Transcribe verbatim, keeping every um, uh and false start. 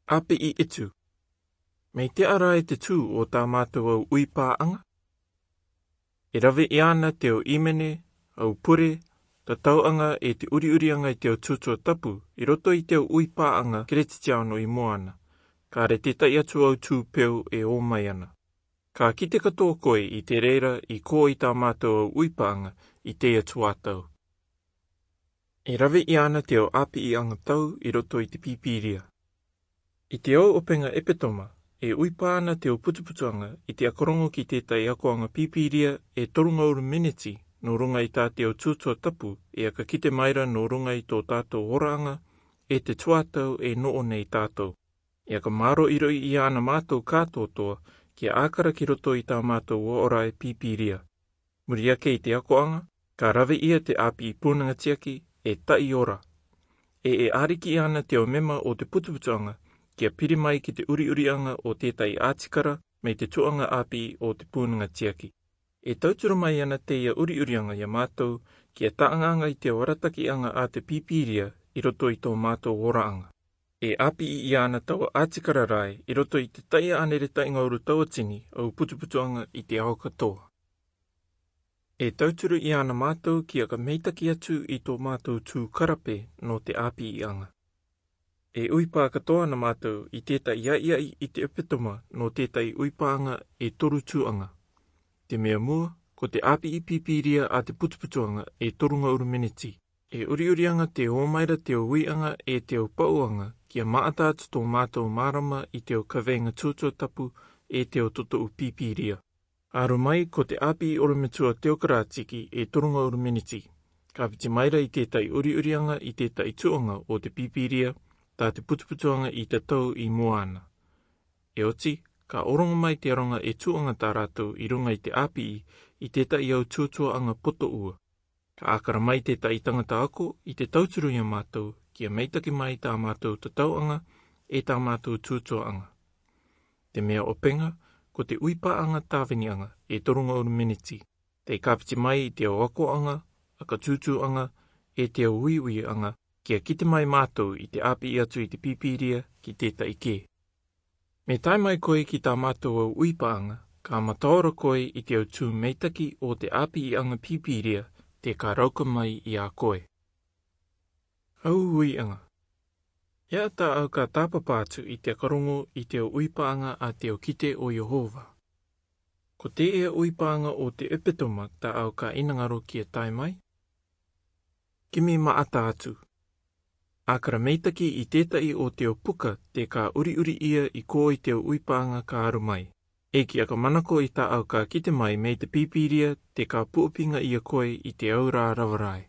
ʻĀpiʻi ʻetu. Mei teʻa rā e te tū o tā mātou au ʻuipāʻanga? E rave ʻia na te au ʻīmene, au pure, tatauʻanga ʻe te ʻuriʻuriʻanga i te au tūtua tapu i roto i te au ʻuipāʻanga Keretitiano i Moana. Ka rere tētahi atu au tū peu e ō mai ana. Ka kite katoa koe i te reira i kō i tā mātou au ʻuipāʻanga i teie tuatau. E rave ʻia na te au ʻāpiʻiʻanga tau i roto i te Pīpīria. I te au ʻopenga ʻepetoma, e ʻuipā ana te au putuputuʻanga i te ʻakarongo ki tētahi akoʻanga Pīpīria e toru ngauru meneti nō ruŋa i tā te au tūtua tapu e ʻaka kite mai ra nō ruŋa i tō tātou oraʻanga ʻe te tuatau e noʻo nei tātou. E ʻaka māroʻiroʻi ʻia ana mātou kātoatoa kia ʻākara ki roto i tā mātou uaorae Pīpīria. Muri ake i te akoʻanga, ka rave ʻia te ʻāpiʻi pūnaŋa tiaki e taʻi ora. ʻE e ʻāriki ʻia na te au mema o te putuputuʻanga kia piri mai ki te ʻuriʻuriʻanga o tētahi ʻātikara mei te tuʻanga ʻāpiʻi o te pūnaŋa tiaki. E tauturu mai ana teie ʻuriʻuriʻanga ia mātou kia taʻangaʻanga i te au aratakiʻanga a te Pīpīria i roto i tō mātou oraʻanga. E ʻāpiʻi ʻia ana taua ʻātikara rae i roto i te taʻiaʻa nere taʻi ngauru tauatini au putuputuʻanga i te ao katoa. E tauturu ʻia ana mātou kia ʻaka meitaki atu i tō mātou tū karape nō te ʻāpiʻiʻanga. E ʻuipā katoa ana mātou i tētahi ʻaiʻai i te ʻepetoma nō tētahi ʻuipāʻanga e toru tūʻanga. Te mea mua, ko te ʻāpiʻi Pīpīria a te putuputuʻanga e toru ngauru meneti. E ʻuriʻuriʻanga te ō mai ra te au uiʻanga ʻe te au pauʻanga kia maʻata atu tō mātou mārama i te au kaveinga tūtua tapu ʻe te au totoʻu Pīpīria. Aro mai ko te ʻāpiʻi ʻorometua teokratiki e toru ngauru meneti. Ka piti mai ra i tētahi ʻuriʻuriʻanga i tētahi tuʻanga o te Pīpīria tā te putuputuʻanga i tatau i Moana. E oti, ka ʻorongo mai te aroga e tuʻanga tā rātou i ruŋa i te ʻāpiʻi i tētahi au tūtuaʻanga poto ua. Ka ʻākara mai tētahi tangata ako i te tauturu ia mātou kia meitaki mai tā mātou tatauʻanga ʻe tā mātou tūtuaʻanga. Te mea ʻopenga, ko te ʻuipāʻanga tāviniʻanga e toru ngauru meneti. Tei ka piti mai i te au akoʻanga, ʻakatūtūʻanga ʻe te au uiuiʻanga kia kite mai mātou i te ʻāpiʻi atu i te Pīpīria ki tētahi kē. Me tae mai koe ki tā mātou au ʻuipāʻanga, ka mataora koe i te au tū meitaki o te ʻāpiʻiʻanga Pīpīria te ka rauka mai ia koe. Au uiʻanga. E ata au ka tāpapa atu i te ʻakarongo i te au ʻuipāʻanga a te au kite o Iehova. Ko teie ʻuipāʻanga o te ʻepetoma tā au ka ʻinangaro kia tae mai? Kimi maʻata atu. ʻĀkara meitaki i tētahi o te au puka te ka ʻuriʻuri ʻia i kō i te au ʻuipāʻanga ka aro mai. ʻEiki ʻaka manako i tā au ka kite mai mei te Pīpīria te ka puʻapīŋaʻia koe i te au rā rava rae.